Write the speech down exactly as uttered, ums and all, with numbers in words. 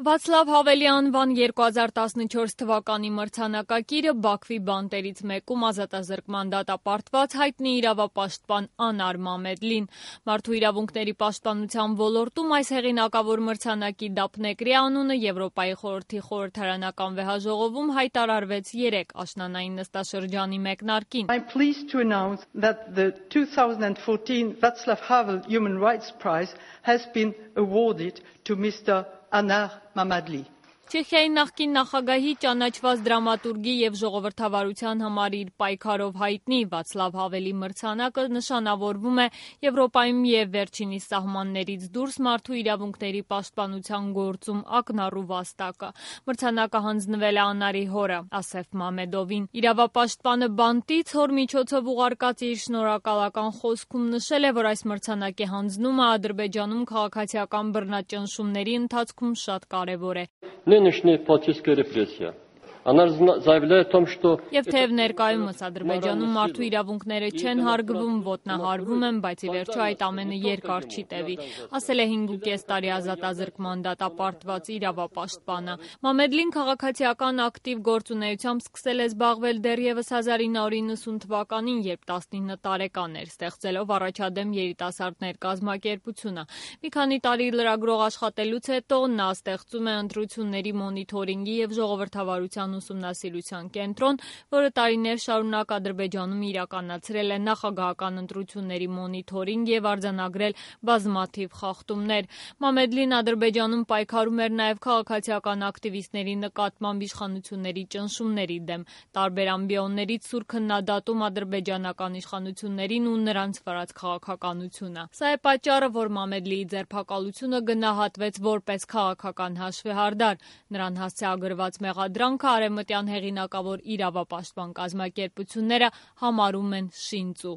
Վացլավ Հավելի անվան երկու հազար տասնչորս թվականի մրցանակակիրը Բաքվի բանտերից մեկում ազատազրկման դատապարտված հայտնի իրավապաշտպան Անար Մամեդլին։ Մարդու իրավունքների պաշտպանության ոլորտում այս հեղինակավոր մրցանակի դափնեկրի անունը Եվրոպայի խորհրդի խորհրդարանական վեհաժողովում հայտարարվեց երեկ աշնանային նստաշրջանի մեկնարկին։ I'm pleased to announce that the two thousand fourteen Václav Havel Human Rights Prize has been awarded to Mr. Anar Mammadli. Չեխիայի նախկին նախագահի ճանաչված դրամատուրգի և ժողովրդավարության համար իր պայքարով հայտնի Վացլավ Հավելի մրցանակը նշանավորվում է Եվրոպայում և վերջինիս սահմաններից դուրս մարդու իրավունքների պաշտպանության գործում ակնառու վաստակը։ Մրցանակը հանձնվել է Անարի հորը Ասեֆ Մամեդովին։ Իրավապաշտպանը բանտից հոր միջոցով ուղարկած իր շնորհակալական խոսքում նշել է, որ այս մրցանակի հանձնումը Ադրբեջանում քաղաքացիական բռնաճնշումների ընթացքում շատ կարևոր է։ Нынешняя политическая репрессия, она заявляет о том, что... Եվ թեև ներկայումս Ադրբեջանում մարդու իրավունքները չեն հարգվում, ոտնահարվում են, բայց ի վերջո այդ ամենը երկար չի տևի, ասել է հինգ ու կես տարի ազատազրկման դատապարտված իրավապաշտպանը։ Մամեդլին քաղաքացիական ակտիվ գործունեությամբ սկսել է զբաղվել դեռևս հազար ինը հարյուր իննսուն թվականին, երբ տասնինը տարեկան էր, ստեղծելով առաջադեմ երիտասարդներ կազմակերպությունը։ Մի քանի տարի լրագրող աշխատելուց հետո նա ստեղծում է ընտրությունների մոնիթորինգի և ժողովրդավարության ուսումնասիրության կենտրոն, որը տարիներ շարունակ Ադրբեջանում իրականացրել է նախագահական ընտրությունների մոնիթորինգ և արձանագրել բազմաթիվ խախտումներ։ Մամեդլին Ադրբեջանում պայքարում էր նաև քաղաքացիական ակտիվիստների նկատմամբ իշխանությունների ճնշումների դեմ, տարբեր ամբիոններից սուր քննադատում ադրբեջանական իշխանություններին ու նրանց վարած քաղաքականությունը։ Սա է պատճառը, որ Մամեդլիի ձերբակալությունը գնահատվեց որպես քաղաքական հաշվեհարդար։ Նրան հասցեագրված մեղադրանքը արևմտյան հեղինակավոր իրավապաշտպան կազմակերպությունները համարում են շինծու։